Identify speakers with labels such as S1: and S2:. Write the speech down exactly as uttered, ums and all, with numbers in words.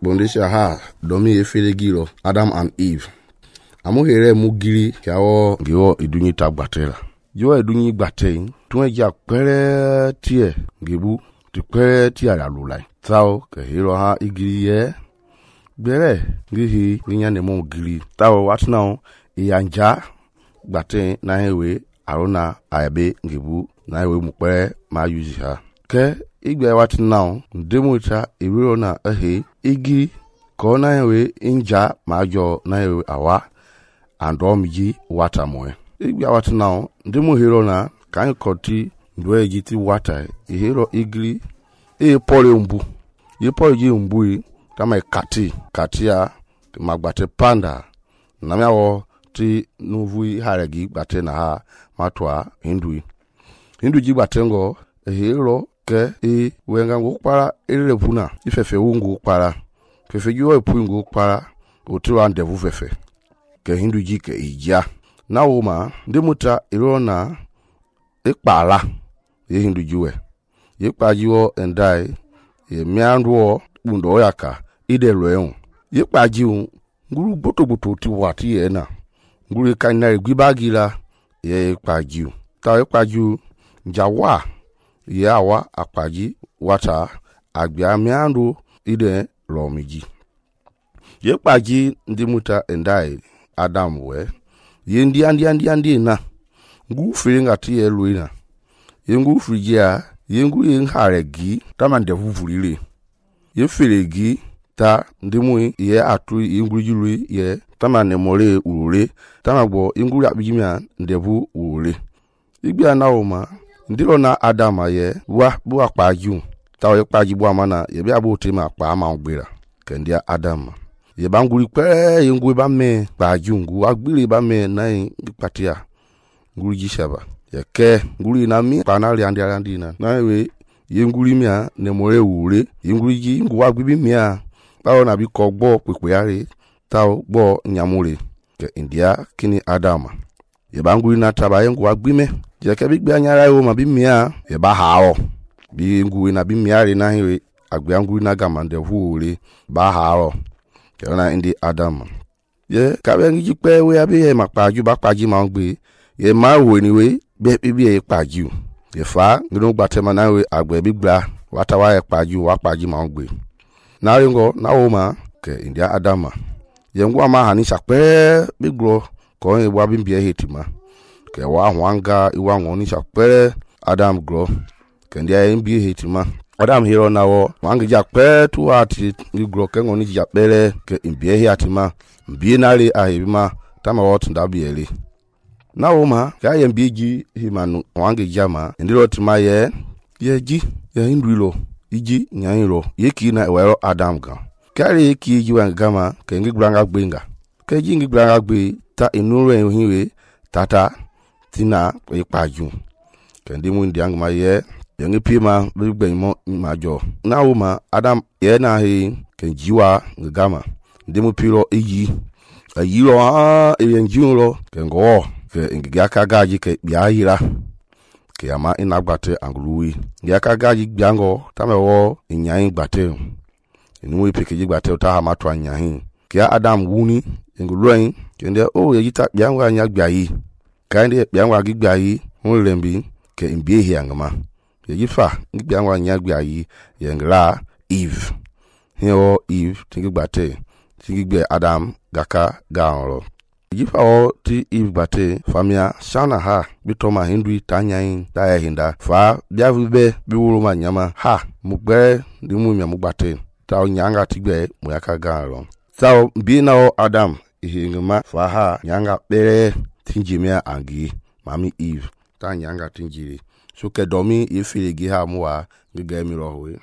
S1: bondesha ha domi efelegi lo Adam and Eve. Amu here mu giri kiawo ngiwo idunyi ta gbatela. Jo idunyi gbate tun ja pere tie ngibu ti pere tie la lulai. Tao ke hero ha igiri ye bere ngihi ninya ne mo giri. Tao what now iyanja gbate na hewe arona ayabe ngibu na hewe mu pere ma use ha. Ke igbe what now demuta iwiro na ehe igi ko na hewe inja majo na hewe awa andomji water moe igbe what now demu hero na kan koti ndo jiti water e hero igri e pole umbu ye pole ji umbu kama kati katia magbate panda na mewo ti nuvu haragi gbate na ha matwa hindu hindu ji gbatengo e hero ke e wenga ngukpara elevuna ifefe wungu kpara fefe jiwo epungu kpara otiwa ndevu fefe ke hindu ji ke ija na woma ndemuta irona ekpala ye hindu jiwe ye kpajiwo endai ye mianduo bundo yaka ide loeun ye kpajiu nguru boto boto ti wati ye na nguru kanna gbibagila ye kpajiu ta ye kpajiu njawa ye awa akpaji wata agbia miandu ide lomiji ye kpaji ndimuta endai Adam we ye ndi andi andi andi na ngu filinga ti ye luina ye ngu frijia ye ngu ye nharegi tama ndevuvulile ye filegi ta ndimu ye atu ye ngu julu ye tama ne mole urule tama gbo ngu abijimia ndevu urule igbia na oma ndilo na Adam ye wa bu akpaju ta ye kpaji bu amana ye bia bu tema akpa ma ogbera kendia Adam ye banguri pe ye ngu ba me kpaju ngu agbire ba me na patia nguri jishaba ye ke nguri na mi panali andi andi na na we ye nguri mia ne more wure ye nguri ji ngu agbibi mia bawo na bi ko gbo pepe yare tawo gbo nyamure ke india kini Adam ye banguri na taba ye ngu agbime je ke bi gbe anyara yo ma bi mia ye ba hawo bi ngu na bi mia re na he agbe nguri na gamande wure ba hawo ke na indi Adam ye ka be ngi pe we abi ye makpaju ba kpaji ma ngbe ye ma wo ni we be bi ye kpaju ye fa ngino gbatema na we agbe bi gba wata wa ye kpaju wa kpaji ma ngbe na ringo na wo ma ke india Adam ye ngwa ma hani sakpe bi gro ko ye wa bi bi hetima ke wa hwanga iwa ngoni sakpe Adam gro ke ndia ye bi hetima Adam hero na wo wangi jakpe tu ati ngro ke ngoni japere ke imbie hi atima mbie nale ahima tama wot ndabieli na wo ma ka ye mbieji himanu wangi jama ndiro tima ye ye ji ye hindwilo iji nyairo ye ki na wero Adam ga kare ye ki ji wangama ke ngi granga gbenga ke ji ngi granga gbe ta inure hiwe tata tina ipaju ke ndimu ndiang ma ye yengi pima bigbe mo majo na woma Adam ye na he ke jiwa ngama ndimu piro eyi ayiro a eyenjuro ke ngo ke ngaka gaji ke biayira ke ama inagbate angluwi ngaka gaji biango tamewo nyan gbate enu epeke gbate ta ha matwa nyan ke Adam wuni nguluin ke nde o yita biango anya gbayi ka nde biango agigbayi hunlembi ke mbie hi angama ye yifa ngi angwa nyagbe ayi ye ngra Eve hio Eve tingi gbate tingi gbe Adam gaka gaonro yifa o ti Eve gbate famia shana ha bitoma hindui tanyain ta hinda fa biavibe biwuru ma nyama ha mugbe ndi mu mi mugbate ta nyanga tigbe mu yaka gaonro so bi na o Adam ihingma fa ha nyanga bere tinjimia angi mami Eve ta nyanga tinjiri so ke domi ifilegi ha muwa ngege mi rohwe